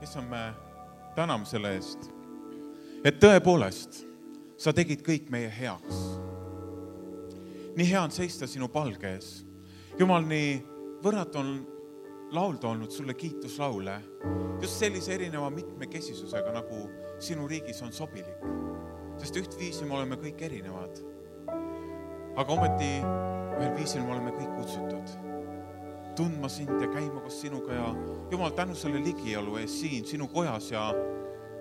issand, me täname selle eest, et tõepoolest sa tegid kõik meie heaks. Nii hea on seista sinu palge ees. Jumal, nii võrratu on laulda olnud sulle kiituslaule, just sellise erineva mitmekesisusega, nagu sinu riigis on sobilik. Sest ühtviisi me oleme kõik erinevad. Aga ometi ühel viisil me oleme kõik kutsutud tundma sind ja käima koos sinuga ja Jumal, tänu selle ligiolu ees siin sinu kojas ja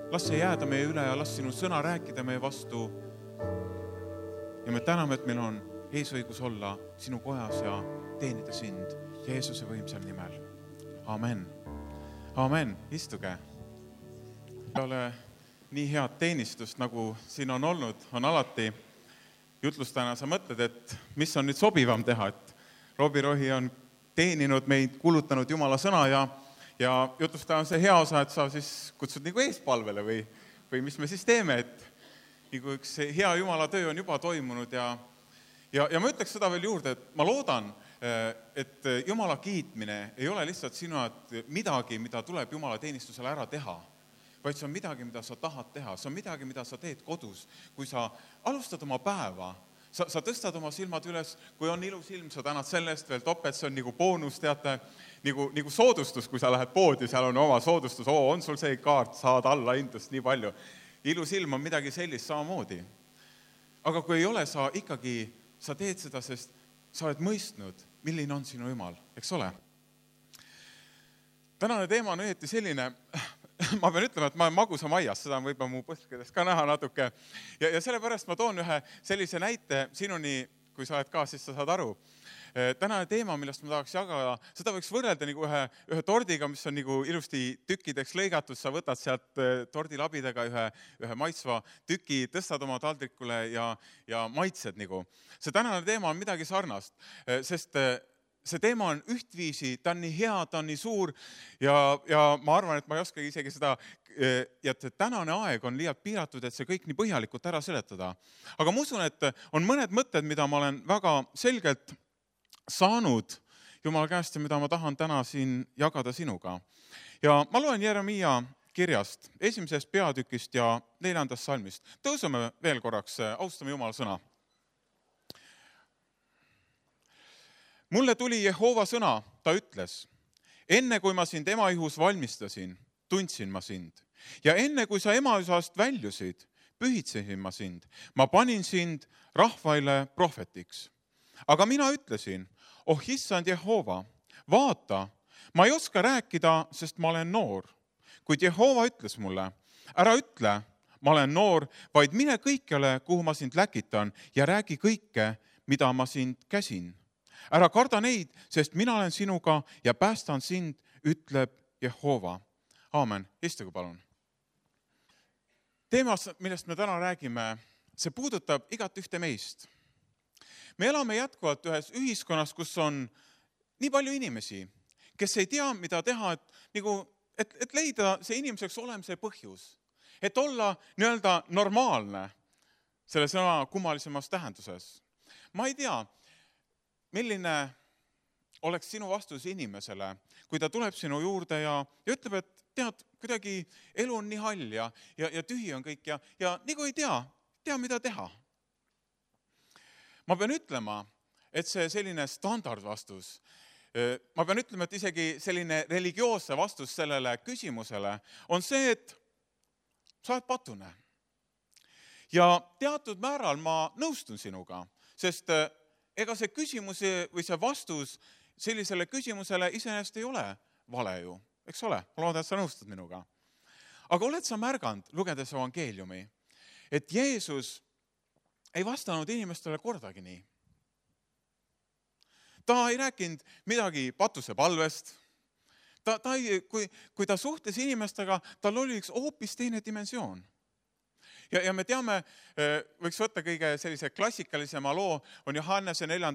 las see jääda meie üle ja las sinu sõna rääkida meie vastu. Ja me täname, et meil on eesõigus olla sinu kojas ja teenida sind Jeesuse võimsal nimel. Amen. Amen. Istuge. Ei ole nii head teenistust, nagu siin on olnud, on alati jutlustajana sa mõtled, et mis on nüüd sobivam teha, et Robi Rohi on teeninud meid, kulutanud Jumala sõna ja jutlustaja on see hea osa, et sa siis kutsud nagu eespalvele või mis me siis teeme, et nagu üks hea Jumala töö on juba toimunud ja ma ütleks seda veel juurde, et ma loodan, et Jumala kiitmine ei ole lihtsalt sinu midagi, mida tuleb Jumala teenistusele ära teha, vaid see on midagi, mida sa tahad teha, see on midagi, mida sa teed kodus, kui sa alustad oma päeva. Sa tõstad oma silmad üles, kui on ilus ilm, sa tänad sellest veel topet, see on nagu boonus, teate, nagu soodustus, kui sa lähed poodi, seal on oma soodustus, on sul see kaart, saad alla hindust nii palju. Ilus ilm on midagi sellist samamoodi. Aga kui ei ole, sa teed seda, sest sa oled mõistnud, milline on sinu Jumal, eks ole? Tänane teema on õieti selline, ma pean ütlema, et ma olen magusa maias, seda on võib-olla mu põskedest ka näha natuke. Ja sellepärast ma toon ühe sellise näite sinuni, kui sa oled ka, siis sa saad aru. Tänane teema, millest ma tahaks jagada, seda võiks võrrelda nagu ühe tordiga, mis on nagu ilusti tükkideks lõigatud. Sa võtad sealt tordilabidega ühe maitsva tüki, tõstad oma taldrikule ja maitsed nagu. See tänane teema on midagi sarnast, sest see teema on ühtviisi, ta on nii hea, ta on nii suur ja ma arvan, et ma ei oska isegi seda, ja et tänane aeg on liialt piiratud, et see kõik nii põhjalikult ära seletada. Aga ma usun, et on mõned mõtted, mida ma olen väga selgelt saanud Jumala käest ja mida ma tahan täna siin jagada sinuga. Ja ma loen Jeremia kirjast, 1. peatükist ja 4. salmist. Tõuseme veel korraks, austame Jumala sõna. Mulle tuli Jehova sõna, ta ütles, enne kui ma sind emaihus valmistasin, tundsin ma sind. Ja enne kui sa emaisast väljusid, pühitsesin ma sind. Ma panin sind rahvaile prohvetiks. Aga mina ütlesin, issand Jehova, vaata, ma ei oska rääkida, sest ma olen noor. Kuid Jehova ütles mulle, ära ütle, ma olen noor, vaid mine kõikjale, kuhu ma sind läkitan ja räägi kõike, mida ma sind käsin. Ära karda neid, sest mina olen sinuga ja päästan sind, ütleb Jehova. Aamen. Istuge palun. Teemas, millest me täna räägime, see puudutab igat ühte meist. Me elame jätkuvalt ühes ühiskonnas, kus on nii palju inimesi, kes ei tea, mida teha, et leida see inimeseks olemise põhjus. Et olla nii-öelda normaalne selle sõna kummalisemas tähenduses. Ma ei tea, milline oleks sinu vastus inimesele, kui ta tuleb sinu juurde ja ütleb, et tead, kuidagi elu on nii hall ja tühi on kõik ja nagu ei tea, mida teha. Ma pean ütlema, et see selline standardvastus, ma pean ütlema, et isegi selline religioosse vastus sellele küsimusele on see, et sa oled patune. Ja teatud määral ma nõustun sinuga, sest ega see küsimus või see vastus sellisele küsimusele iseenesest ei ole vale ju, eks ole? Ma loodan, et sa nõustud minuga. Aga oled sa märganud, lugedes evangeeliumi, et Jeesus ei vastanud inimestele kordagi nii. Ta ei rääkinud midagi patuse palvest. Kui ta suhtles inimestega, tal oli üks hoopis teine dimensioon. Ja me teame, võiks võtta kõige sellise klassikalisema loo, on Johannese 4.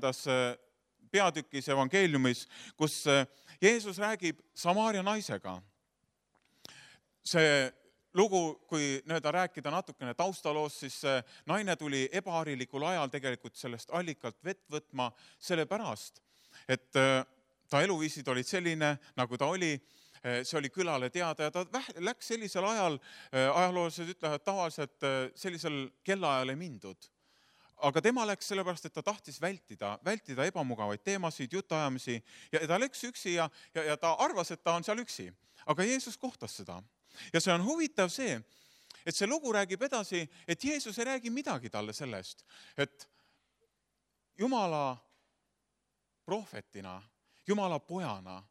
peatükis evangeeliumis, kus Jeesus räägib Samaaria naisega. See lugu, kui rääkida natukene taustaloos, siis naine tuli ebaharilikul ajal tegelikult sellest allikalt vett võtma sellepärast, et ta eluviisid olid selline, nagu ta oli. see oli külale teada ja ta läks sellisel ajal, ajaloolased ütlevad tavaliselt sellisel kellaajal ei mindud. Aga tema läks sellepärast, et ta tahtis vältida ebamugavaid teemasid, jutuajamisi ja ta läks üksi ja ta arvas, et ta on seal üksi. Aga Jeesus kohtas seda. Ja see on huvitav see, et see lugu räägib edasi, et Jeesus ei räägi midagi talle sellest, et Jumala prohvetina, Jumala pojana,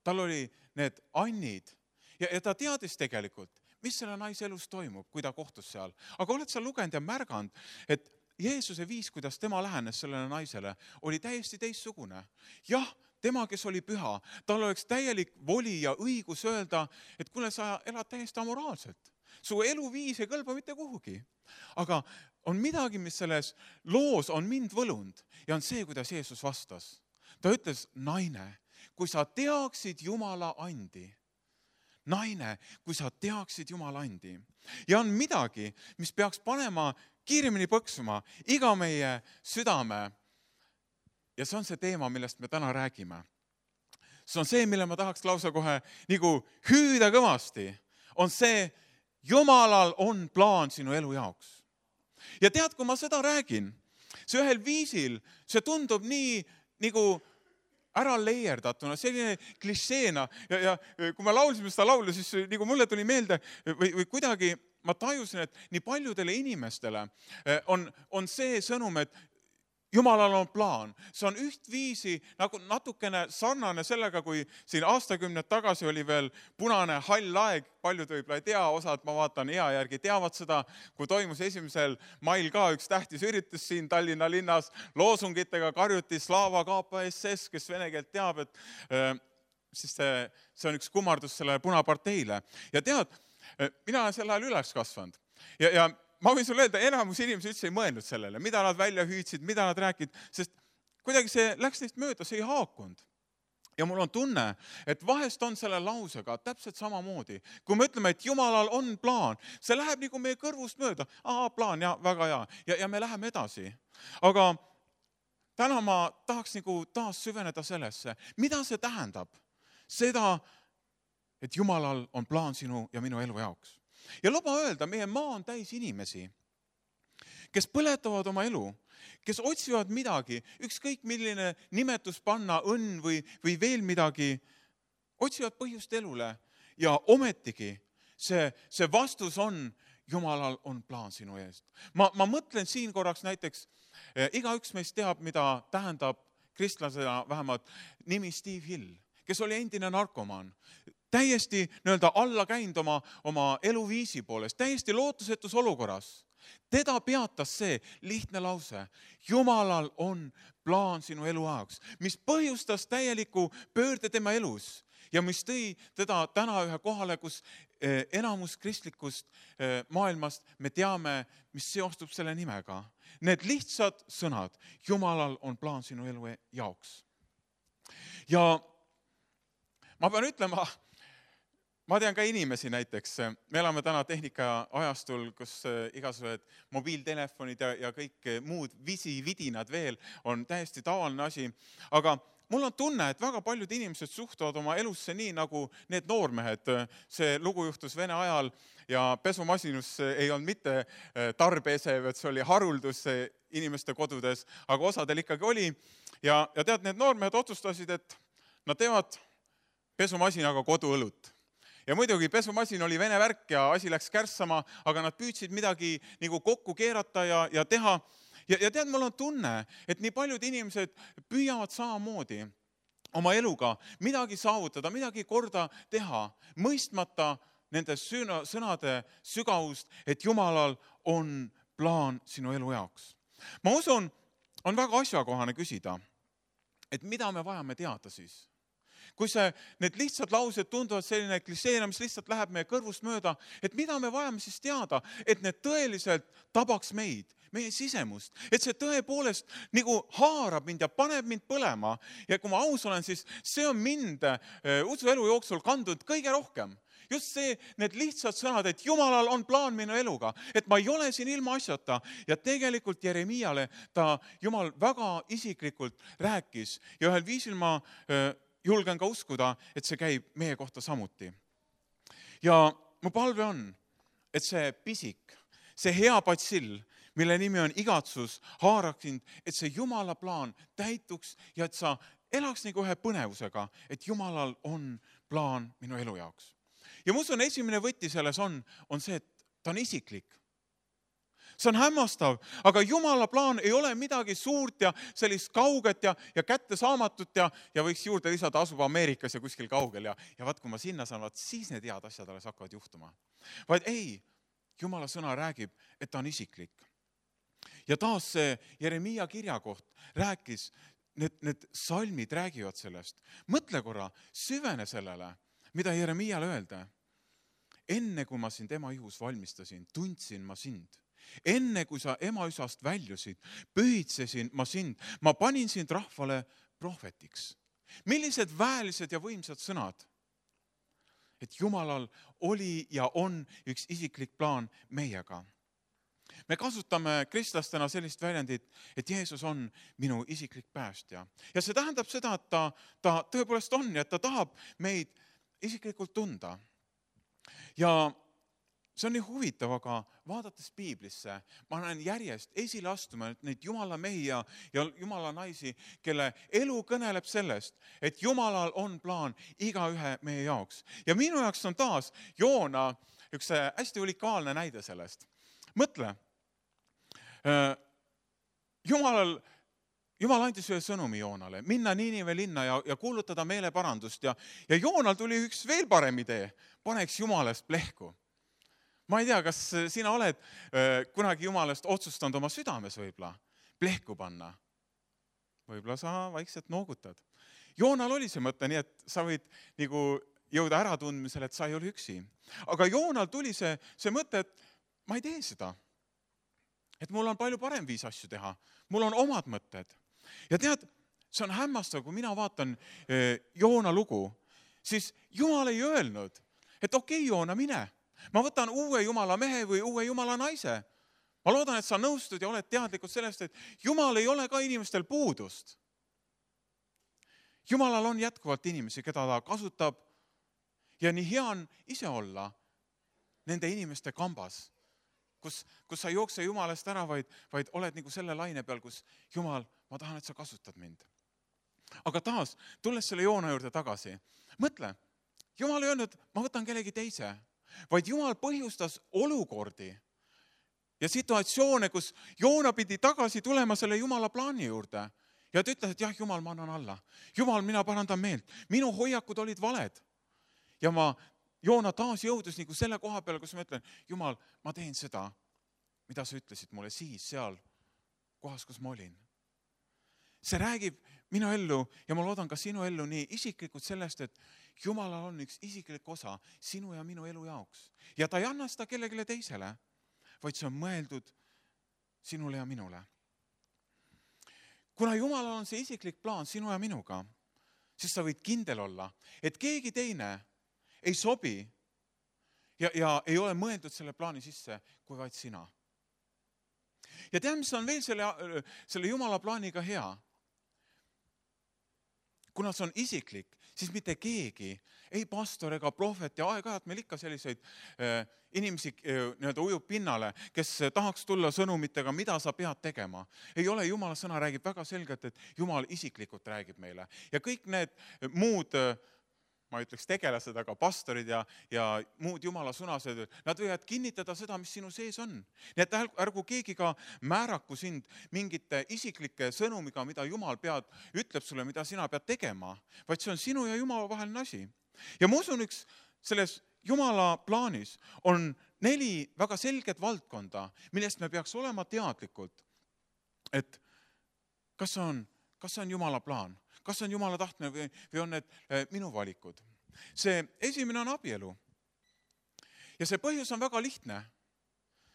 tal oli need annid ja ta teadis tegelikult, mis selle naise elus toimub, kui ta kohtus seal. Aga oled sa lugenud ja märganud, et Jeesuse viis, kuidas tema lähenes sellele naisele, oli täiesti teistsugune. Jah, tema, kes oli püha, tal oleks täielik voli ja õigus öelda, et kuule, sa elad täiesti amoraalselt. Su eluviis ei kõlba mitte kuhugi. Aga on midagi, mis selles loos on mind võlunud ja on see, kuidas Jeesus vastas. Ta ütles, naine, kui sa teaksid Jumala andi, naine, kui sa teaksid Jumala andi. Ja on midagi, mis peaks panema kiiremini põksuma iga meie südame. Ja see on see teema, millest me täna räägime. See on see, mille ma tahaks lausa kohe nagu hüüda kõvasti. On see, Jumalal on plaan sinu elu jaoks. Ja tead, kui ma seda räägin, see ühel viisil, see tundub nii nagu ära leierdatuna, selline klišeena. Ja kui me laulsime seda laulu, siis nagu mulle tuli meelde või kuidagi ma tajusin, et nii paljudele inimestele on see sõnum, et Jumalal on plaan. See on ühtviisi nagu natukene sarnane sellega, kui siin aastakümned tagasi oli veel punane hall aeg. Paljud võib-olla ei tea, osad ma vaatan ea järgi teavad seda, kui toimus 1. mail ka üks tähtis üritus siin Tallinna linnas. Loosungitega karjuti Slava KPSS, kes vene keelt teab, et siis see on üks kummardus sellele punaparteile. Ja tead, mina olen sel ajal üles kasvanud. Ja ma võin sulle öelda, enamus inimesi üldse ei mõelnud sellele, mida nad välja hüüdsid, mida nad rääkid, sest kuidagi see läks neist mööda, see ei haakunud. Ja mul on tunne, et vahest on selle lausega täpselt samamoodi. Kui me ütleme, et Jumalal on plaan, see läheb nagu meie kõrvust mööda. Plaan, väga hea. Ja me läheme edasi. Aga täna ma tahaks nagu taas süveneda sellesse. Mida see tähendab? Seda, et Jumalal on plaan sinu ja minu elu jaoks. Ja luba öelda, meie maa on täis inimesi, kes põletavad oma elu, kes otsivad midagi, ükskõik milline nimetus panna, õnn või veel midagi, otsivad põhjust elule ja ometigi see vastus on, Jumalal on plaan sinu eest. Ma mõtlen siin korraks näiteks, igaüks meist teab, mida tähendab kristlasena vähemalt nimi Steve Hill, kes oli endine narkomaan. Täiesti alla käinud oma eluviisi poolest, täiesti lootusetus olukorras. Teda peatas see lihtne lause. Jumalal on plaan sinu elu jaoks, mis põhjustas täieliku pöörde tema elus ja mis tõi teda täna ühe kohale, kus enamus kristlikust maailmast me teame, mis seostub selle nimega. Need lihtsad sõnad, Jumalal on plaan sinu elu jaoks. Ja ma pean ütlema, ma tean ka inimesi näiteks, me elame täna tehnika ajastul, kus igasugused mobiiltelefonid ja kõik muud vidinad veel on täiesti tavaline asi, aga mul on tunne, et väga paljud inimesed suhtuvad oma elusse nii nagu need noormehed. See lugu juhtus Vene ajal ja pesumasinus ei olnud mitte tarbeesev, et see oli haruldus inimeste kodudes, aga osadel ikkagi oli. Ja tead, need noormehed otsustasid, et nad teevad pesumasinaga koduõlut. Ja muidugi pesumasin oli vene värk ja asi läks kärssama, aga nad püüdsid midagi nagu kokku keerata ja teha. Ja tead, mul on tunne, et nii paljud inimesed püüavad samamoodi oma eluga midagi saavutada, midagi korda teha, mõistmata nende sõnade sügavust, et Jumalal on plaan sinu elu jaoks. Ma usun, on väga asjakohane küsida, et mida me vajame teada siis. Kui need lihtsad laused tunduvad selline klišeena, mis lihtsalt läheb meie kõrvust mööda, et mida me vajame siis teada, et need tõeliselt tabaks meid, meie sisemust, et see tõepoolest nagu haarab mind ja paneb mind põlema. Ja kui ma aus olen, siis see on mind usuelu jooksul kandunud kõige rohkem. Just see, need lihtsad sõnad, et Jumalal on plaan minu eluga, et ma ei ole siin ilma asjata. Ja tegelikult Jeremiale Jumal väga isiklikult rääkis ja ühel viisil ma julgen ka uskuda, et see käib meie kohta samuti. Ja mu palve on, et see pisik, see hea patsill, mille nimi on igatsus, haaraks sind, et see Jumala plaan täituks ja et sa elaks nagu ühe põnevusega, et Jumalal on plaan minu elu jaoks. Ja ma usun, esimene võti selles on see, et ta on isiklik. See on hämmastav, aga Jumala plaan ei ole midagi suurt ja sellist kauget ja kättesaamatut ja võiks juurde lisada, asub Ameerikas ja kuskil kaugel ja vaat kui ma sinna saan, vaat siis need head asjad alles hakkavad juhtuma. Vaid ei, Jumala sõna räägib, et ta on isiklik. Ja taas see Jeremiia kirjakoht rääkis, need salmid räägivad sellest. Mõtle korra, süvene sellele, mida Jeremiiale öelda. Enne kui ma sind ema ihus valmistasin, tundsin ma sind. Enne kui sa ema üsast väljusid, pühitsesin ma sind. Ma panin sind rahvale prohvetiks. Millised väelised ja võimsad sõnad? Et Jumalal oli ja on üks isiklik plaan meiega. Me kasutame kristlastena sellist väljendit, et Jeesus on minu isiklik päästja. Ja see tähendab seda, et ta tõepoolest on ja et ta tahab meid isiklikult tunda. Ja see on nii huvitav, aga vaadates piiblisse, ma näen järjest esile astuma neid Jumala mehi ja Jumala naisi, kelle elu kõneleb sellest, et Jumalal on plaan igaühe meie jaoks. Ja minu jaoks on taas Joona üks hästi unikaalne näide sellest. Mõtle, Jumal andis ühe sõnumi Joonale, minna Niinive linna ja kuulutada meeleparandust ja Joonal tuli üks veel parem idee, paneks Jumalast plehku. Ma ei tea, kas sina oled kunagi Jumalast otsustanud oma südames võib-olla plehku panna. Võib-olla sa vaikselt noogutad. Joonal oli see mõte, nii et sa võid nagu jõuda äratundmisele, et sa ei ole üksi. Aga Joonal tuli see mõte, et ma ei tee seda. Et mul on palju parem viis asju teha. Mul on omad mõtted. Ja tead, see on hämmastav, kui mina vaatan Joona lugu, siis Jumal ei öelnud, et okei, Joona, mine. Ma võtan uue Jumala mehe või uue Jumala naise. Ma loodan, et sa nõustud ja oled teadlikud sellest, et Jumal ei ole ka inimestel puudust. Jumalal on jätkuvalt inimesi, keda ta kasutab ja nii hea on ise olla nende inimeste kambas, kus sa ei jookse Jumalast ära, vaid oled nagu selle laine peal, kus Jumal, ma tahan, et sa kasutad mind. Aga taas, tulles selle Joona juurde tagasi, mõtle, Jumal ei öelnud, ma võtan kellegi teise, vaid Jumal põhjustas olukordi ja situatsioone, kus Joona pidi tagasi tulema selle Jumala plaani juurde. Ja ta ütles, et jah, Jumal, ma annan alla. Jumal, mina parandan meelt. Minu hoiakud olid valed. Ja Joona taas jõudus nagu selle koha peale, kus ma ütlen, Jumal, ma teen seda, mida sa ütlesid mulle siis seal kohas, kus ma olin. See räägib minu ellu ja ma loodan ka sinu ellu nii isiklikult sellest, et Jumalal on üks isiklik osa sinu ja minu elu jaoks. Ja ta ei anna seda kellelegi teisele, vaid see on mõeldud sinule ja minule. Kuna Jumalal on see isiklik plaan sinu ja minuga, siis sa võid kindel olla, et keegi teine ei sobi ja ei ole mõeldud selle plaani sisse, kui vaid sina. Ja tead, mis on veel selle Jumala plaaniga hea? Kuna see on isiklik, siis mitte keegi, ei pastor ega prohvet ja aeg-ajalt meil ikka selliseid inimesi ujub pinnale, kes tahaks tulla sõnumitega, mida sa pead tegema. Ei ole, Jumala sõna räägib väga selgelt, et Jumal isiklikult räägib meile. Ja kõik need muud, ma ütleks tegelased, aga pastorid ja muud Jumala sõnased, nad võivad kinnitada seda, mis sinu sees on. Nii et ärgu keegi ka määraku sind mingite isiklike sõnumiga, mida Jumal ütleb sulle, mida sina pead tegema, vaid see on sinu ja Jumala vaheline asi. Ja ma usun, üks selles Jumala plaanis on 4 väga selget valdkonda, millest me peaks olema teadlikult, et kas see on Jumala plaan, kas see on Jumala tahtmine või on need minu valikud. See esimene on abielu. Ja see põhjus on väga lihtne,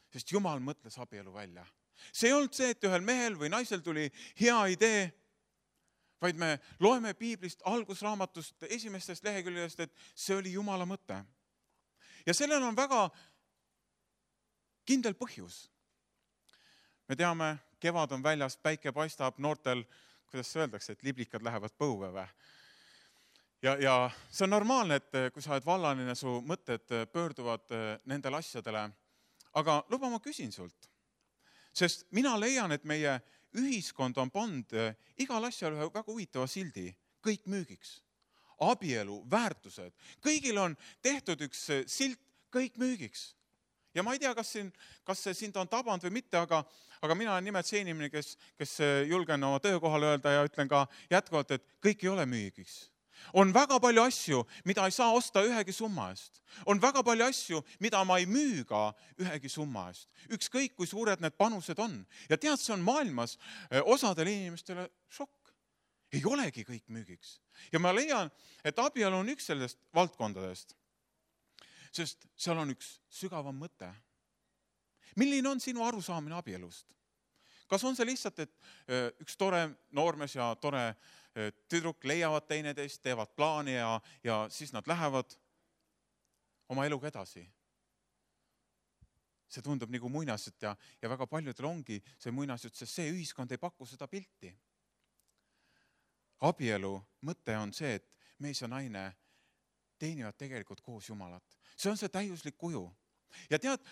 sest Jumal mõtles abielu välja. See ei olnud see, et ühel mehel või naisel tuli hea idee, vaid me loeme piiblist algusraamatust esimestest lehekülgedest, et see oli Jumala mõte. Ja sellel on väga kindel põhjus. Me teame, kevad on väljas, päike paistab, noortel, kuidas öeldakse, et liblikad lähevad põue või? ja see on normaalne, et kui sa oled vallaline, su mõtted pöörduvad nendele asjadele. Aga luba, ma küsin sult, sest mina leian, et meie ühiskond on pannud igal asjal ühe väga huvitava sildi, kõik müügiks. Abielu, väärtused, kõigil on tehtud üks silt, kõik müügiks. Ja ma ei tea, kas see sind on tabanud või mitte, aga mina olen nimelt see inimene, kes julgen oma töökohal öelda ja ütlen ka jätkuvalt, et kõik ei ole müügiks. On väga palju asju, mida ei saa osta ühegi summa eest. On väga palju asju, mida ma ei müü ka ühegi summa eest. Ükskõik, kui suured need panused on. Ja tead, see on maailmas osadele inimestele šokk. Ei olegi kõik müügiks. Ja ma leian, et abielu on üks sellest valdkondadest, sest seal on üks sügavam mõte. Milline on sinu arusaamine abielust? Kas on see lihtsalt, et üks tore noormees ja tore tüdruk leiavad teineteist, teevad plaani ja siis nad lähevad oma eluga edasi? See tundub nagu muinasjutt ja väga paljudel ongi see muinasjutt, sest see ühiskond ei paku seda pilti. Abielu mõte on see, et mees ja naine teenivad tegelikult koos Jumalat. See on see täiuslik kuju. Ja tead,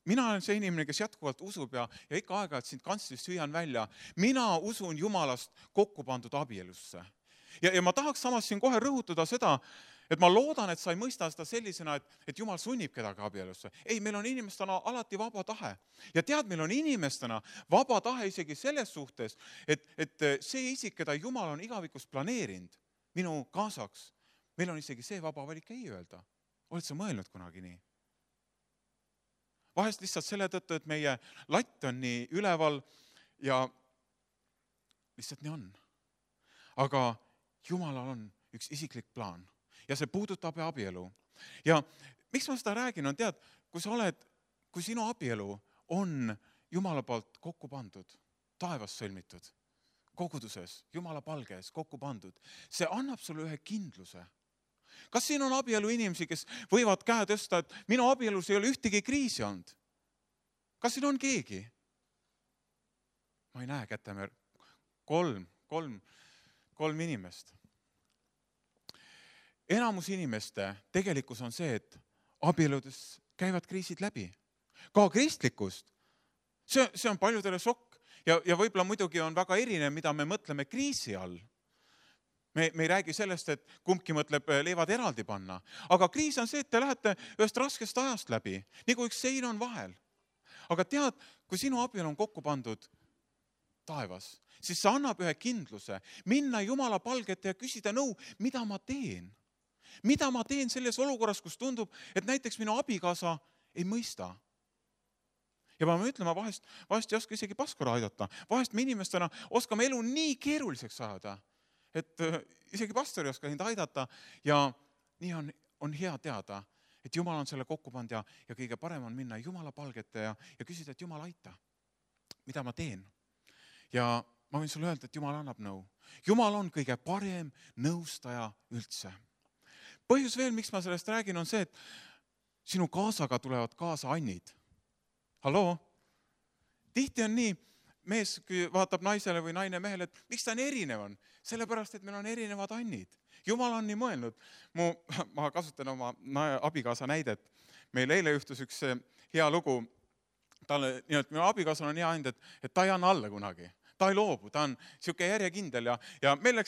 mina olen see inimene, kes jätkuvalt usub ja ikka aeg-ajalt sind kantslist hüüan välja. Mina usun Jumalast kokku pandud abielusse. Ja ma tahaks samas siin kohe rõhutada seda, et ma loodan, et sa ei mõista seda sellisena, et Jumal sunnib kedagi abielusse. Ei, meil on inimestena alati vaba tahe. Ja tead, meil on inimestena vaba tahe isegi selles suhtes, et see isik, keda Jumal on igavikus planeerinud minu kaasaks, meil on isegi see vaba valik ei öelda. Oled sa mõelnud kunagi nii? Vahest lihtsalt selle tõttu, et meie latt on nii üleval ja lihtsalt nii on. Aga Jumalal on üks isiklik plaan ja see puudutab abielu. Ja miks ma seda räägin, on tead, kui sinu abielu on Jumala poolt kokku pandud, taevas sõlmitud, koguduses, Jumala palges kokku pandud, see annab sulle ühe kindluse. Kas siin on abielu inimesi, kes võivad käe tõsta, et minu abielus ei ole ühtegi kriisi olnud? Kas siin on keegi? Ma ei näe kätemäär. Kolm inimest. Enamus inimeste tegelikkus on see, et abieludes käivad kriisid läbi. Ka kristlikust. See on paljudele šokk ja võib-olla muidugi on väga erinev, mida me mõtleme kriisi all. Me ei räägi sellest, et kumbki mõtleb leivad eraldi panna. Aga kriis on see, et te lähete ühest raskest ajast läbi, nagu üks sein on vahel. Aga tead, kui sinu abielu on kokku pandud taevas, siis see annab ühe kindluse minna Jumala palgete ja küsida nõu, mida ma teen. Mida ma teen selles olukorras, kus tundub, et näiteks minu abikaasa ei mõista. Ja ma ütlen, ma vahest ei oska isegi paskura aidata. Vahest me inimestena oskame elu nii keeruliseks ajada, et isegi pastor ei oska neid aidata ja nii on hea teada, et Jumal on selle kokku pannud ja kõige parem on minna Jumala palgete ja küsida, et Jumal aita, mida ma teen. Ja ma võin sulle öelda, et Jumal annab nõu. Jumal on kõige parem nõustaja üldse. Põhjus veel, miks ma sellest räägin, on see, et sinu kaasaga tulevad kaasa annid. Halloo? Tihti on nii, mees vaatab naisele või naine mehele, et miks ta on erinev on? Sellepärast, et meil on erinevad annid. Jumal on nii mõelnud. Ma kasutan oma abikaasa näidet. Meil eile juhtus üks hea lugu. Minu abikaasal on hea and, et ta ei anna alla kunagi. Ta ei loobu, ta on siuke järjekindel ja meil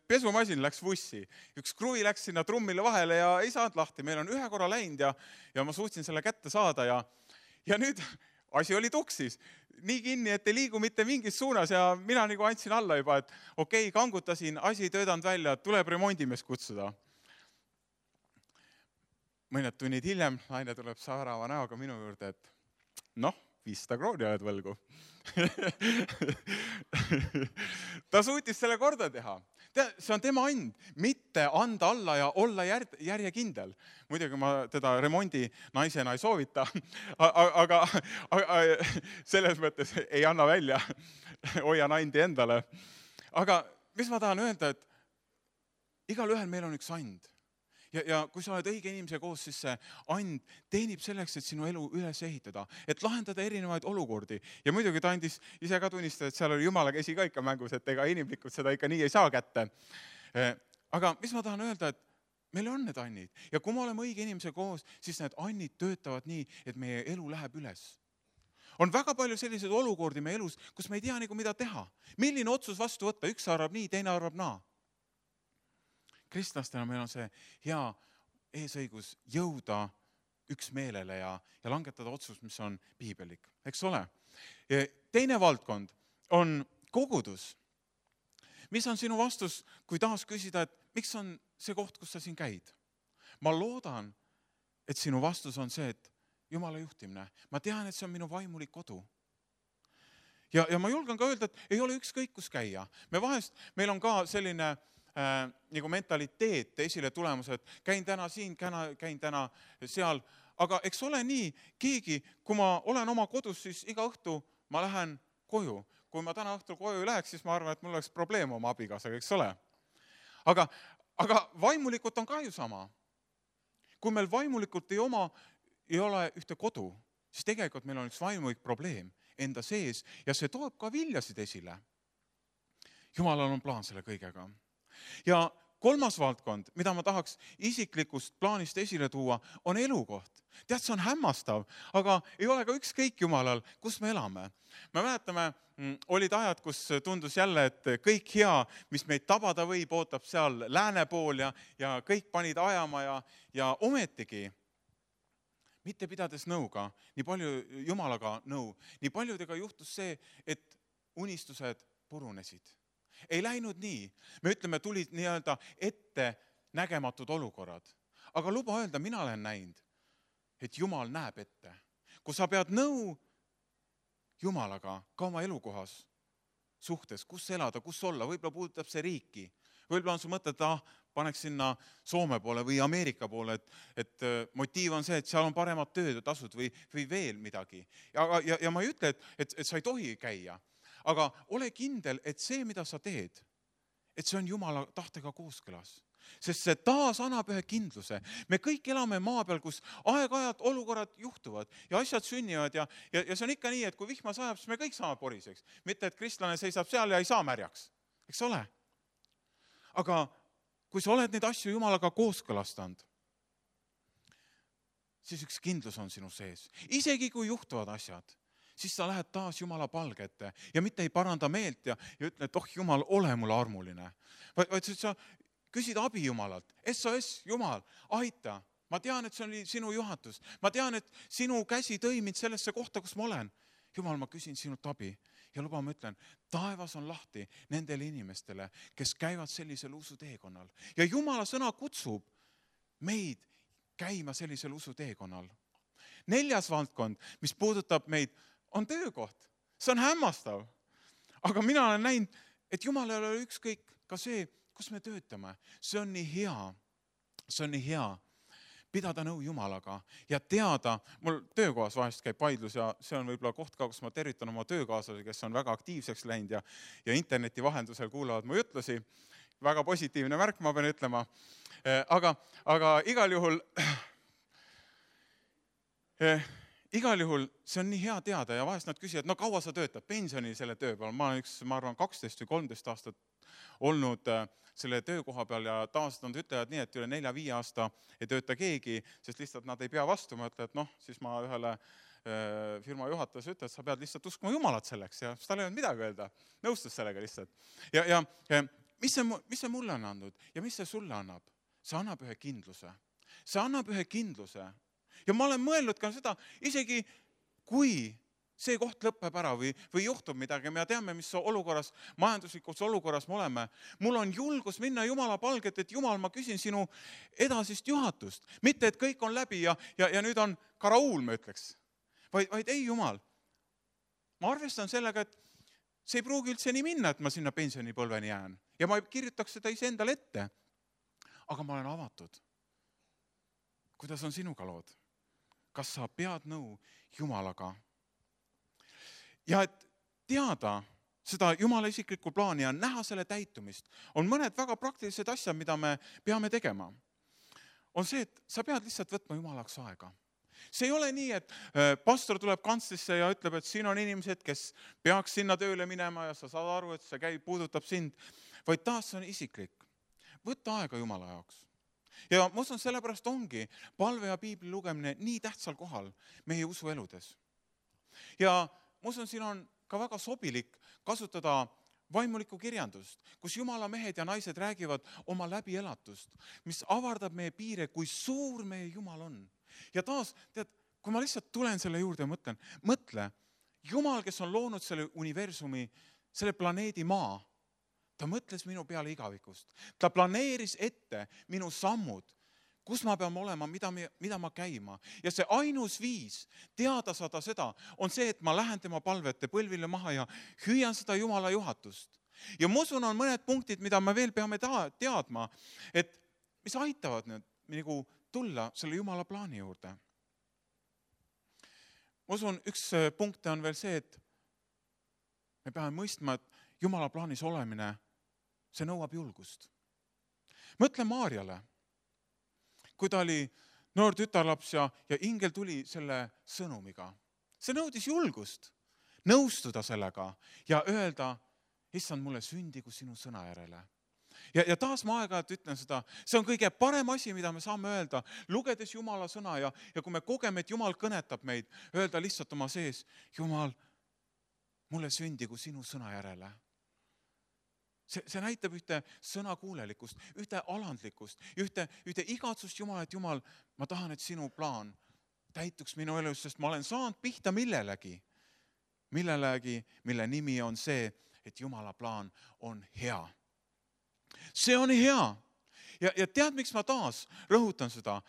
pesumasin läks vussi. Üks kruvi läks sinna trummile vahele ja ei saanud lahti. Meil on ühe korra läinud ja ma suutsin selle kätte saada ja nüüd asi oli tuksis. Nii kinni, et ei liigu mitte mingis suunas ja mina nagu andsin alla juba, et okei, kangutasin, asi ei töödanud välja, tuleb remondimees kutsuda. Mõned tunnid hiljem naine tuleb saarava näoga minu juurde, et 500 krooni oled võlgu. Ta suutis selle korda teha. See on tema and, mitte anda alla ja olla järjekindel. Muidugi ma teda remondi naisena ei soovita, aga selles mõttes ei anna välja, hoian andi endale. Aga mis ma tahan öelda, et igal ühel meil on üks and. Ja kui sa oled õige inimese koos, siis see and teenib selleks, et sinu elu üles ehitada, et lahendada erinevaid olukordi. Ja muidugi ta andis ise ka tunnistada, et seal oli Jumala käsi ka ikka mängus, et ega inimlikult seda ikka nii ei saa kätte. aga mis ma tahan öelda, et meil on need annid ja kui me oleme õige inimese koos, siis need annid töötavad nii, et meie elu läheb üles. On väga palju selliseid olukordi meie elus, kus me ei tea nagu mida teha. Milline otsus vastu võtta, üks arvab nii, teine arvab naa. Kristlastena meil on see hea eesõigus jõuda üksmeelele ja langetada otsus, mis on piibelik, eks ole. Teine valdkond on kogudus. Mis on sinu vastus, kui taas küsida, et miks on see koht, kus sa siin käid? Ma loodan, et sinu vastus on see, et Jumala juhtimine. Ma tean, et see on minu vaimulik kodu. Ja ma julgen ka öelda, et ei ole ükskõik, kus käia. Meil on ka selline nagu mentaliteet esile tulemus, et käin täna siin, käin täna seal. Aga eks ole nii, keegi, kui ma olen oma kodus, siis iga õhtu ma lähen koju. Kui ma täna õhtul koju ei läheks, siis ma arvan, et mul oleks probleem oma abikaasaga, eks ole. Aga vaimulikult on ka ju sama. Kui meil vaimulikult ei ole ühte kodu, siis tegelikult meil on üks vaimulik probleem enda sees ja see toob ka viljasid esile. Jumalal on plaan selle kõigega. Ja kolmas valdkond, mida ma tahaks isiklikust plaanist esile tuua, on elukoht. Tead, see on hämmastav, aga ei ole ka ükskõik Jumalal, kus me elame. Me mäletame, olid ajad, kus tundus jälle, et kõik hea, mis meid tabada võib, ootab seal lääne pool ja kõik panid ajama ja ometigi mitte pidades nõuga, nii palju Jumalaga nõu, nii paljudega juhtus see, et unistused purunesid. Ei läinud nii. Me ütleme, tulid nii-öelda ette nägematud olukorrad. Aga luba öelda, mina olen näinud, et Jumal näeb ette. Kui sa pead nõu Jumalaga ka oma elukohas suhtes, kus elada, kus olla, võib-olla puudutab see riiki. Võib-olla on su mõte, et paneks sinna Soome poole või Ameerika poole, et motiiv on see, et seal on paremad tööd ja tasud või veel midagi. Ja ma ei ütle, et sa ei tohi käia, aga ole kindel, et see, mida sa teed, et see on Jumala tahtega kooskõlas. Sest see taas annab ühe kindluse. Me kõik elame maa peal, kus aeg-ajalt olukorrad juhtuvad ja asjad sünnivad ja see on ikka nii, et kui vihma sajab, siis me kõik saame poriseks. Mitte, et kristlane seisab seal ja ei saa märjaks. Eks ole? Aga kui sa oled neid asju Jumalaga kooskõlastanud, siis üks kindlus on sinu sees. Isegi kui juhtuvad asjad, siis sa lähed taas Jumala palge ette ja mitte ei paranda meelt ja ütle, et Jumal, ole mulle armuline. Vaid sa küsid abi Jumalalt. SOS, Jumal, aita. Ma tean, et see oli sinu juhatus. Ma tean, et sinu käsi tõi mind sellesse kohta, kus ma olen. Jumal, ma küsin sinult abi ja luba, ma ütlen, taevas on lahti nendele inimestele, kes käivad sellisel usuteekonnal. Ja Jumala sõna kutsub meid käima sellisel usuteekonnal. 4. valdkond, mis puudutab meid, on töökoht. See on hämmastav. Aga mina olen näinud, et Jumal ei ole ükskõik ka see, kus me töötame. See on nii hea pidada nõu Jumalaga ja teada, mul töökohas vahest käib vaidlus ja see on võib-olla koht ka, kus ma tervitan oma töökaaslasi, kes on väga aktiivseks läinud ja interneti vahendusel kuulavad mu jutlusi. Väga positiivne märk, ma pean ütlema. Aga igal juhul see on nii hea teada ja vahest nad küsivad, no kaua sa töötad pensioni selle töö peal. Ma olen ma arvan, 12 või 13 aastat olnud selle töökoha peal ja tavaliselt nad ütlevad nii, et üle 4-5 aasta ei tööta keegi, sest lihtsalt nad ei pea vastu. Ma ütlen, et siis ma ühele firma juhatajas ütlen, et sa pead lihtsalt uskuma Jumalat selleks ja tal ei olnud midagi öelda. Nõustus sellega lihtsalt. Ja mis see mulle on andnud ja mis see sulle annab? See annab ühe kindluse. See annab ühe kindluse. Ja ma olen mõelnud ka seda, isegi kui see koht lõpeb ära või juhtub midagi, me teame, mis olukorras, majanduslikus olukorras me oleme. Mul on julgus minna Jumala palget, et Jumal, ma küsin sinu edasist juhatust. Mitte, et kõik on läbi ja nüüd on karauul, ma ütleks. Vaid ei, Jumal. Ma arvestan sellega, et see ei pruugi üldse nii minna, et ma sinna pensionipõlveni jään. Ja ma kirjutaks seda iseendale ette. Aga ma olen avatud. Kuidas on sinuga lood? Kas sa pead nõu Jumalaga? Ja et teada seda Jumala isiklikku plaani ja näha selle täitumist, on mõned väga praktilised asjad, mida me peame tegema. On see, et sa pead lihtsalt võtma Jumalaks aega. See ei ole nii, et pastor tuleb kantslisse ja ütleb, et siin on inimesed, kes peaks sinna tööle minema ja sa saad aru, et see puudutab sind, vaid taas on isiklik. võtta aega Jumala jaoks. Ja ma usun, sellepärast ongi palve ja piibli lugemine nii tähtsal kohal meie usueludes. Ja ma usun, siin on ka väga sobilik kasutada vaimulikku kirjandust, kus Jumala mehed ja naised räägivad oma läbielatust, mis avardab meie piire, kui suur meie Jumal on. Ja taas, tead, kui ma lihtsalt tulen selle juurde ja mõtle, Jumal, kes on loonud selle universumi, selle planeedi Maa, ta mõtles minu peale igavikust. Ta planeeris ette minu sammud, kus ma pean olema, mida ma käima. Ja see ainus viis teada saada seda on see, et ma lähen tema palvete põlvile maha ja hüüan seda Jumala juhatust. Ja ma usun, on mõned punktid, mida me veel peame teadma, et mis aitavad nüüd nagu tulla selle Jumala plaani juurde. Ma usun, üks punkt on veel see, et me peame mõistma, et Jumala plaanis olemine, see nõuab julgust. Mõtle Maarjale. Kui ta oli noor tütarlaps ja ingel tuli selle sõnumiga. See nõudis julgust, nõustuda sellega ja öelda, issand, mulle sündigu sinu sõna järele. Ja taas ma aeg-ajalt ütlen seda, see on kõige parem asi, mida me saame öelda, lugedes Jumala sõna ja kui me kogeme, et Jumal kõnetab meid, öelda lihtsalt oma sees, Jumal, mulle sündigu sinu sõna järele. See näitab ühte sõnakuulelikust, ühte alandlikkust, ühte igatsust Jumal, et Jumal, ma tahan, et sinu plaan täituks minu elus, sest ma olen saanud pihta millelegi, mille nimi on see, et Jumala plaan on hea. See on hea. Ja tead, miks ma taas rõhutan seda?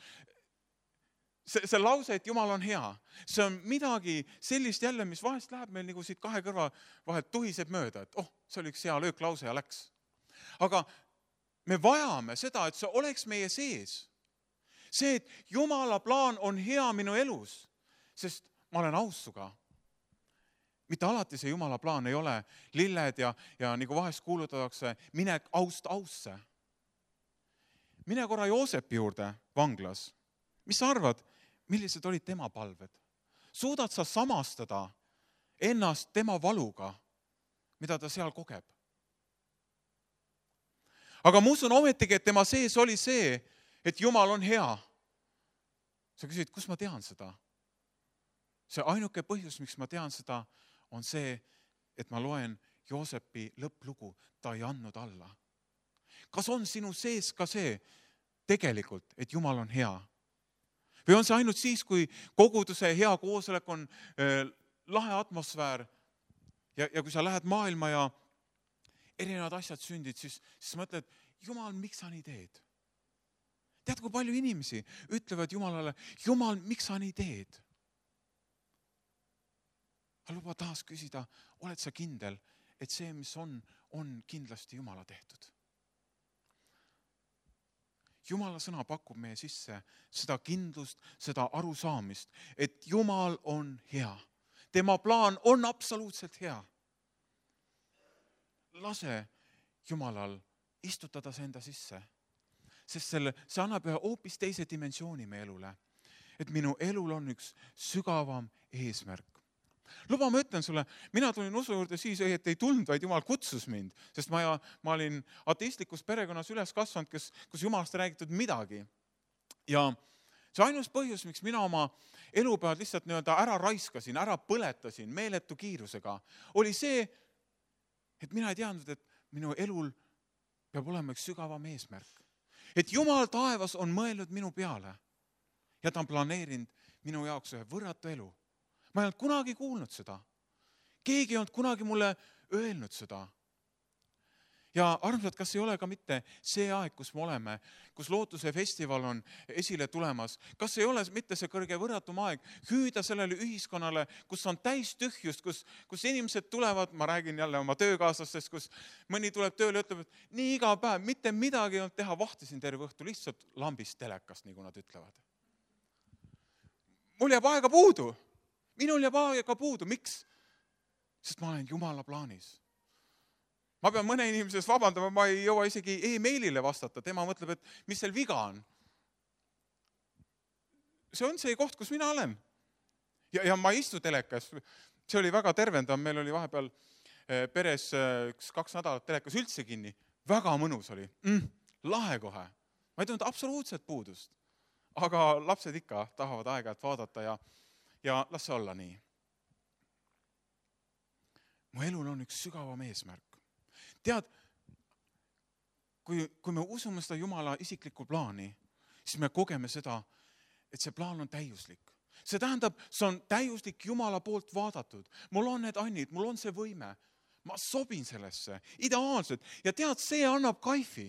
See lause, et Jumal on hea, see on midagi sellist jälle, mis vahest läheb meil nagu siit kahe kõrva vahelt tuhiseb mööda, et see oli üks hea lööklause ja läks. Aga me vajame seda, et see oleks meie sees. See, et Jumala plaan on hea minu elus, sest ma olen aus suga. Mitte alati see Jumala plaan ei ole lilled ja nagu vahest kuulutatakse, mine aust ausse. Mine korra Joosepi juurde vanglas. Mis sa arvad, millised olid tema palved? Suudad sa samastada ennast tema valuga, mida ta seal kogeb? Aga ma usun ometigi, et tema sees oli see, et Jumal on hea. Sa küsid, kus ma tean seda? See ainuke põhjus, miks ma tean seda, on see, et ma loen Joosepi lõpplugu, ta ei andnud alla. Kas on sinu sees ka see tegelikult, et Jumal on hea? Või on see ainult siis, kui koguduse hea koosolek on lahe atmosfäär ja kui sa lähed maailma ja erinevad asjad sündid, siis mõtled, Jumal, miks sa nii teed? Tead, kui palju inimesi ütlevad Jumalale, Jumal, miks sa nii teed? Aga luba taas küsida, oled sa kindel, et see, mis on kindlasti Jumala tehtud? Jumala sõna pakub meie sisse seda kindlust, seda arusaamist, et Jumal on hea. Tema plaan on absoluutselt hea. Lase Jumalal istutada see enda sisse, sest see annab ühe hoopis teise dimensiooni meie elule, et minu elul on üks sügavam eesmärk. Luba, ma ütlen sulle, mina tulin usu juurde siis, et ei tulnud, vaid Jumal kutsus mind, sest ma olin ateistlikus perekonnas üles kasvanud, kus Jumalast räägitud midagi. Ja see ainus põhjus, miks mina oma elupäevad lihtsalt ära raiskasin, ära põletasin meeletu kiirusega, oli see, et mina ei teadnud, et minu elul peab olema üks sügavam eesmärk. Et Jumal taevas on mõelnud minu peale ja ta on planeerinud minu jaoks ühe võrratu elu. Ma ei olnud kunagi kuulnud seda. Keegi ei olnud kunagi mulle öelnud seda. Ja armsad, kas ei ole ka mitte see aeg, kus me oleme, kus Lootuse festival on esile tulemas, kas ei ole mitte see kõrge võrratum aeg hüüda sellele ühiskonnale, kus on täis tühjust, kus inimesed tulevad, ma räägin jälle oma töökaaslastest, kus mõni tuleb tööle ja ütleb, et nii iga päev, mitte midagi ei olnud teha, vahtisin terve õhtu, lihtsalt lambist telekast, nagu nad ütlevad. Mul jääb aega puudu. Minul jääb aega puudu. Miks? Sest ma olen Jumala plaanis. Ma pean mõne inimesest vabandama, ma ei jõua isegi e-mailile vastata. Tema mõtleb, et mis seal viga on. See on see koht, kus mina olen. Ja ma ei istu telekas. See oli väga tervendav. Meil oli vahepeal peres 2 nädalat telekas üldse kinni. Väga mõnus oli. lahe kohe. Ma ei tundnud absoluutselt puudust. Aga lapsed ikka tahavad aeg-ajalt vaadata ja las see olla nii. Mu elul on üks sügavam eesmärk. Tead, kui me usume seda Jumala isiklikku plaani, siis me kogeme seda, et see plaan on täiuslik. See tähendab, see on täiuslik Jumala poolt vaadatud. Mul on need annid, mul on see võime. Ma sobin sellesse, ideaalselt. Ja tead, see annab kaifi.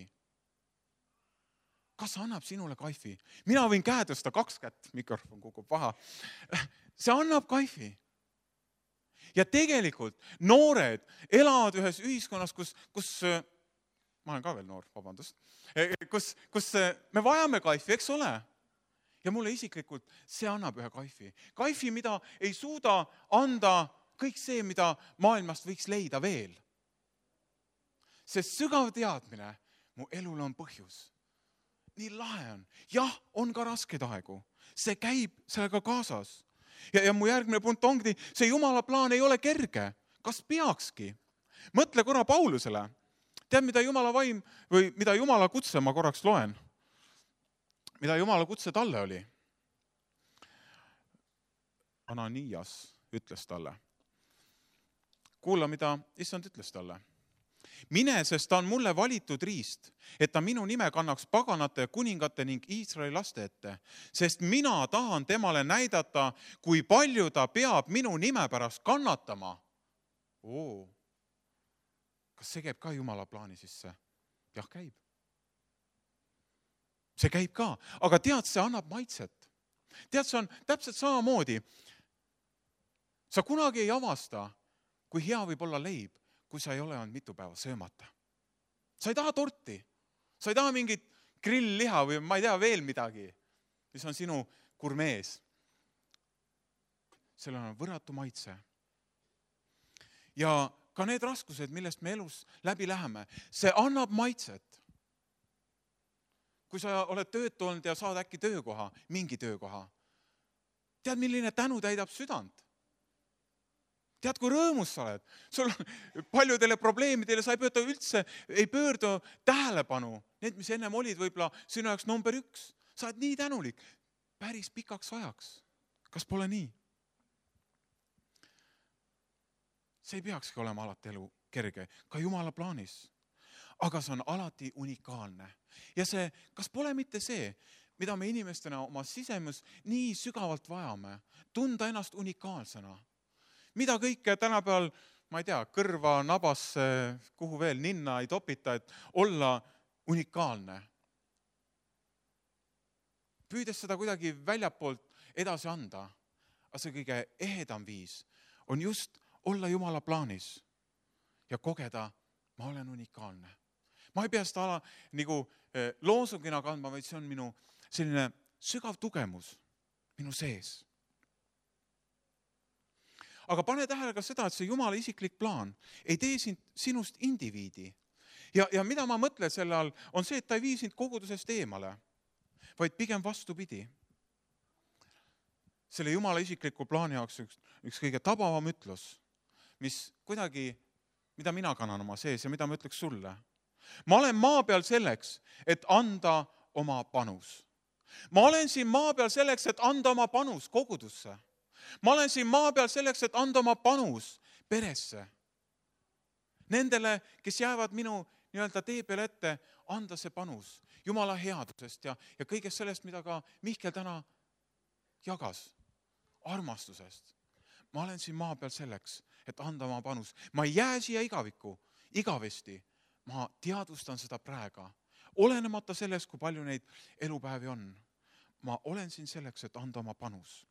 Kas annab sinule kaifi? Mina võin käe tõsta 2 kätt, mikrofon kukub paha. See annab kaifi. Ja tegelikult noored elavad ühes ühiskonnas, kus ma olen ka veel noor, vabandust, kus me vajame kaifi, eks ole? Ja mulle isiklikult see annab ühe kaifi. Kaifi, mida ei suuda anda kõik see, mida maailmast võiks leida veel. See sügav teadmine, mu elul on põhjus. Nii lahe on. Jah, on ka rasked aegu. See käib sellega kaasas. Ja mu järgmine punkt ongi, see Jumala plaan ei ole kerge. Kas peakski? Mõtle korra Paulusele. Tead, mida Jumala vaim või mida Jumala kutse, ma korraks loen. Mida Jumala kutse talle oli? Ananias ütles talle. Kuula, mida issand ütles talle. Mine, sest ta on mulle valitud riist, et ta minu nime kannaks paganate, kuningate ning Iisraeli laste ette, sest mina tahan temale näidata, kui palju ta peab minu nime pärast kannatama. Kas see käib ka Jumala plaani sisse? Jah, käib. See käib ka, aga tead, see annab maitset. Tead, see on täpselt samamoodi. Sa kunagi ei avasta, kui hea võib olla leib, kui sa ei ole olnud mitu päeva söömata. Sa ei taha torti, sa ei taha mingit grillliha või ma ei tea veel midagi, mis on sinu gurmees. Sellel on võrratu maitse. Ja ka need raskused, millest me elus läbi läheme, see annab maitset. Kui sa oled töötu olnud ja saad äkki töökoha, mingi töökoha, tead, milline tänu täidab südant? Tead, kui rõõmus sa oled? Sul paljudele probleemidele sa ei pöördu tähelepanu. Need, mis ennem olid võib-olla sinu jaoks number 1. Sa oled nii tänulik päris pikaks ajaks. Kas pole nii? See ei peakski olema alati elu kerge, ka Jumala plaanis. Aga see on alati unikaalne. Ja see, kas pole mitte see, mida me inimestena oma sisemus nii sügavalt vajame, tunda ennast unikaalsena? Mida kõike tänapäeval, ma ei tea, kõrva, nabasse, kuhu veel, ninna ei topita, et olla unikaalne. Püüdes seda kuidagi väljapoolt edasi anda, aga see kõige ehedam viis on just olla Jumala plaanis ja kogeda, ma olen unikaalne. Ma ei pea seda nagu loosungina kandma, vaid see on minu selline sügav tugemus minu sees. Aga pane tähele ka seda, et see Jumala isiklik plaan ei tee sinust indiviidi. Ja mida ma mõtlen selle all, on see, et ta ei vii sind kogudusest eemale, vaid pigem vastupidi. Selle Jumala isikliku plaani jaoks üks kõige tabavam ütlus, mis kuidagi, mida mina kannan oma sees ja mida ma ütleks sulle. Ma olen maa peal selleks, et anda oma panus. Ma olen siin maa peal selleks, et anda oma panus kogudusse. Ma olen siin maa peal selleks, et anda oma panus peresse. Nendele, kes jäävad minu tee peale ette, anda see panus Jumala headusest ja kõigest sellest, mida ka Mihkel täna jagas, armastusest. Ma olen siin maa peal selleks, et anda oma panus. Ma ei jää siia igavesti. Ma teadvustan seda praegu. Olenemata sellest, kui palju neid elupäevi on. Ma olen siin selleks, et anda oma panus.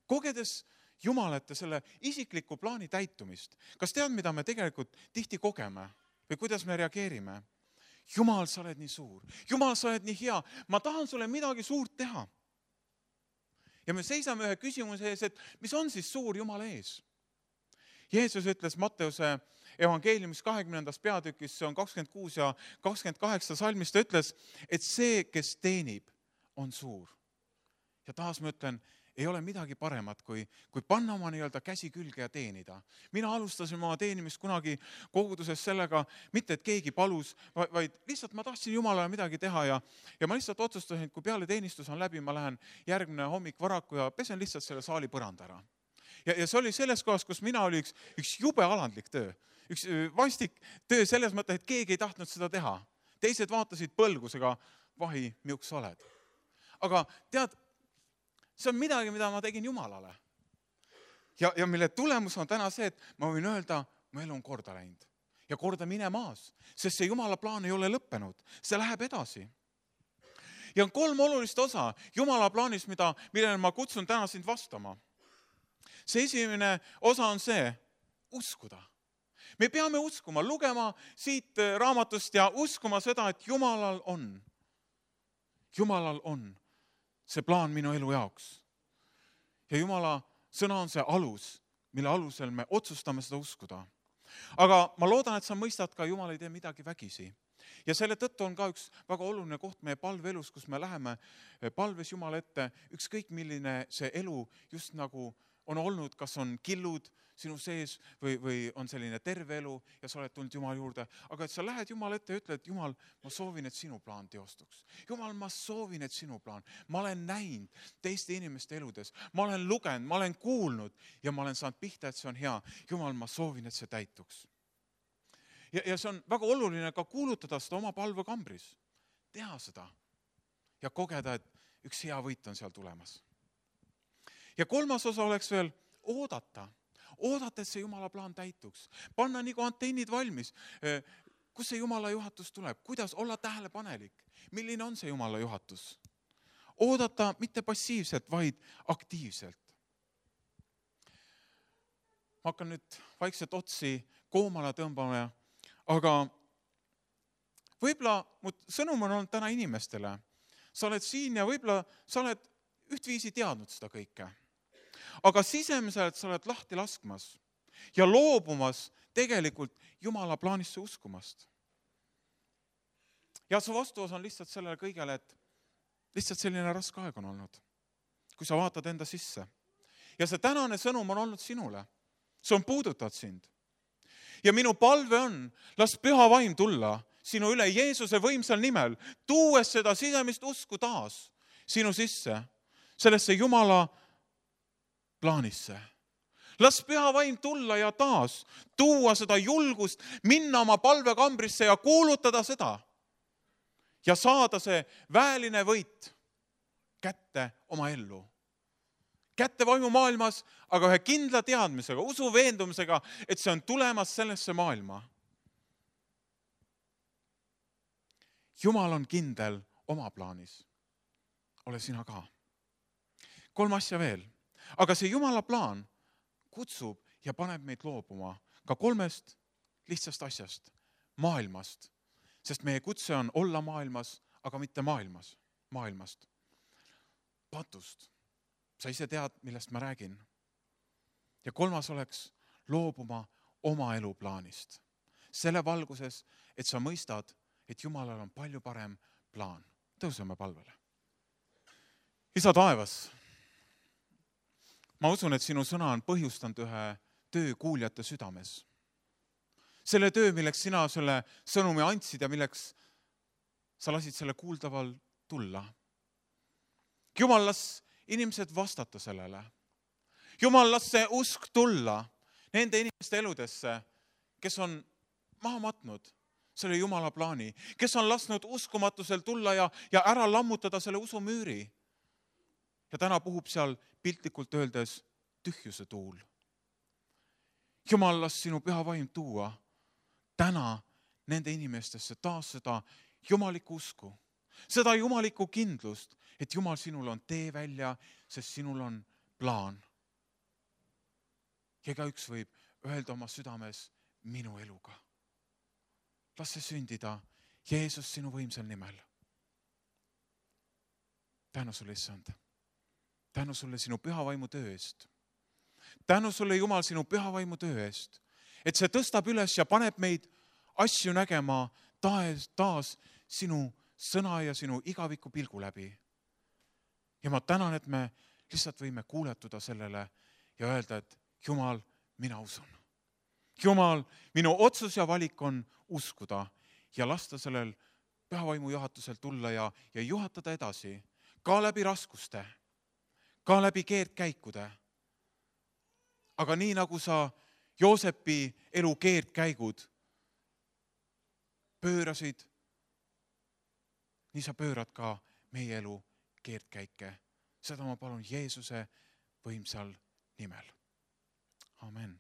Kogedes Jumalate selle isikliku plaani täitumist, kas tead, mida me tegelikult tihti kogeme või kuidas me reageerime? Jumal, sa oled nii suur. Jumal, sa oled nii hea. Ma tahan sulle midagi suurt teha. Ja me seisame ühe küsimuse ees, et mis on siis suur Jumala ees? Jeesus ütles Matteuse evangeeliumis 20. peatükis, see on 26 ja 28 salmis, ta ütles, et see, kes teenib, on suur. Ja taas ma ütlen, ei ole midagi paremat, kui panna oma nii-öelda käsi külge ja teenida. Mina alustasin oma teenimist kunagi koguduses sellega, mitte et keegi palus, vaid lihtsalt ma tahtsin Jumalale midagi teha ja ma lihtsalt otsustasin, et kui peale teenistus on läbi, ma lähen järgmine hommik varaku ja pesen lihtsalt selle saali põranda ära. Ja see oli selles kohas, kus mina oli üks jube alandlik töö. Üks vastik töö selles mõttes, et keegi ei tahtnud seda teha. Teised vaatasid põlgusega, vahi, miuks sa oled. Aga tead, see on midagi, mida ma tegin Jumalale. Ja mille tulemus on täna see, et ma võin öelda, mu elu on korda läinud. Ja korda minemaas, sest see Jumala plaan ei ole lõppenud. See läheb edasi. Ja on 3 olulist osa Jumala plaanis, millele ma kutsun täna sind vastama. See esimene osa on see, uskuda. Me peame uskuma, lugema siit raamatust ja uskuma seda, et Jumalal on see plaan minu elu jaoks. Ja Jumala sõna on see alus, mille alusel me otsustame seda uskuda. Aga ma loodan, et sa mõistad ka, Jumal ei tee midagi vägisi. Ja selle tõttu on ka üks väga oluline koht meie palveelus, kus me läheme palves Jumala ette, ükskõik milline see elu just nagu on olnud, kas on killud sinu sees või on selline terve elu ja sa oled tulnud Jumala juurde. Aga et sa lähed Jumala ette ja ütled, Jumal, ma soovin, et sinu plaan teostuks. Jumal, ma soovin, et sinu plaan. Ma olen näinud teiste inimeste eludes. Ma olen lugenud, ma olen kuulnud ja ma olen saanud pihta, et see on hea. Jumal, ma soovin, et see täituks. Ja see on väga oluline ka kuulutada seda oma palvekambris. Teha seda ja kogeda, et üks hea võit on seal tulemas. Ja 3. osa oleks veel oodata, et see Jumala plaan täituks. Panna nagu antennid valmis. Kus see Jumala juhatus tuleb? Kuidas olla tähelepanelik? Milline on see Jumala juhatus? Oodata mitte passiivselt, vaid aktiivselt. Ma hakkan nüüd vaikselt otsi koomale tõmbama, aga võib-olla mu sõnum on olnud täna inimestele. Sa oled siin ja võib-olla sa oled ühtviisi teadnud seda kõike. Aga sisemiselt sa oled lahti laskmas ja loobumas tegelikult Jumala plaanisse uskumast. Ja su vastuos on lihtsalt sellele kõigele, et lihtsalt selline raske aeg on olnud, kui sa vaatad enda sisse. Ja see tänane sõnum on olnud sinule. See on puudutanud sind. Ja minu palve on, las püha vaim tulla sinu üle Jeesuse võimsal nimel, tuues seda sisemist usku taas sinu sisse, sellesse Jumala plaanisse. Las püha vaim tulla ja taas tuua seda julgust, minna oma palvekambrisse ja kuulutada seda ja saada see väeline võit kätte oma ellu. Kätte vaimumaailmas, aga ühe kindla teadmisega, usu veendumisega, et see on tulemas sellesse maailma. Jumal on kindel oma plaanis. Ole sina ka. 3 asja veel. Aga see Jumala plaan kutsub ja paneb meid loobuma ka 3 lihtsast asjast, maailmast. Sest meie kutse on olla maailmas, aga mitte maailmast. Patust. Sa ise tead, millest ma räägin. Ja 3 oleks loobuma oma eluplaanist. Selle valguses, et sa mõistad, et Jumalal on palju parem plaan. Tõuseme palvele. Isa taevas, ma usun, et sinu sõna on põhjustanud ühe töö kuuljate südames. Selle töö, milleks sina selle sõnumi andsid ja milleks sa lasid selle kuuldaval tulla. Jumal, las inimesed vastata sellele. Jumal, las see usk tulla nende inimeste eludesse, kes on maha matnud selle Jumala plaani, kes on lasknud uskumatusel tulla ja ära lammutada selle usumüüri. Ja täna puhub seal piltlikult öeldes tühjuse tuul. Jumal, las sinu püha vaim tuua täna nende inimestesse taas seda jumalikku usku, seda jumalikku kindlust, et Jumal, sinul on tee välja, sest sinul on plaan. Ja igaüks võib öelda oma südames minu eluga. Las see sündida Jeesus sinu võimsal nimel. Tänu sulle, issand. Tänu sulle sinu püha vaimu töö eest. Tänu sulle, Jumal, sinu püha vaimu töö eest. Et see tõstab üles ja paneb meid asju nägema taas sinu sõna ja sinu igaviku pilgu läbi. Ja ma tänan, et me lihtsalt võime kuuletuda sellele ja öelda, et Jumal, mina usun. Jumal, minu otsus ja valik on uskuda ja lasta sellel pühavaimu juhatusel tulla ja juhatada edasi, ka läbi raskuste, ka läbi keerdkäikude. Aga nii nagu sa Joosepi elu keerdkäigud pöörasid, nii sa pöörad ka meie elu keerdkäike. Seda ma palun Jeesuse võimsal nimel. Amen.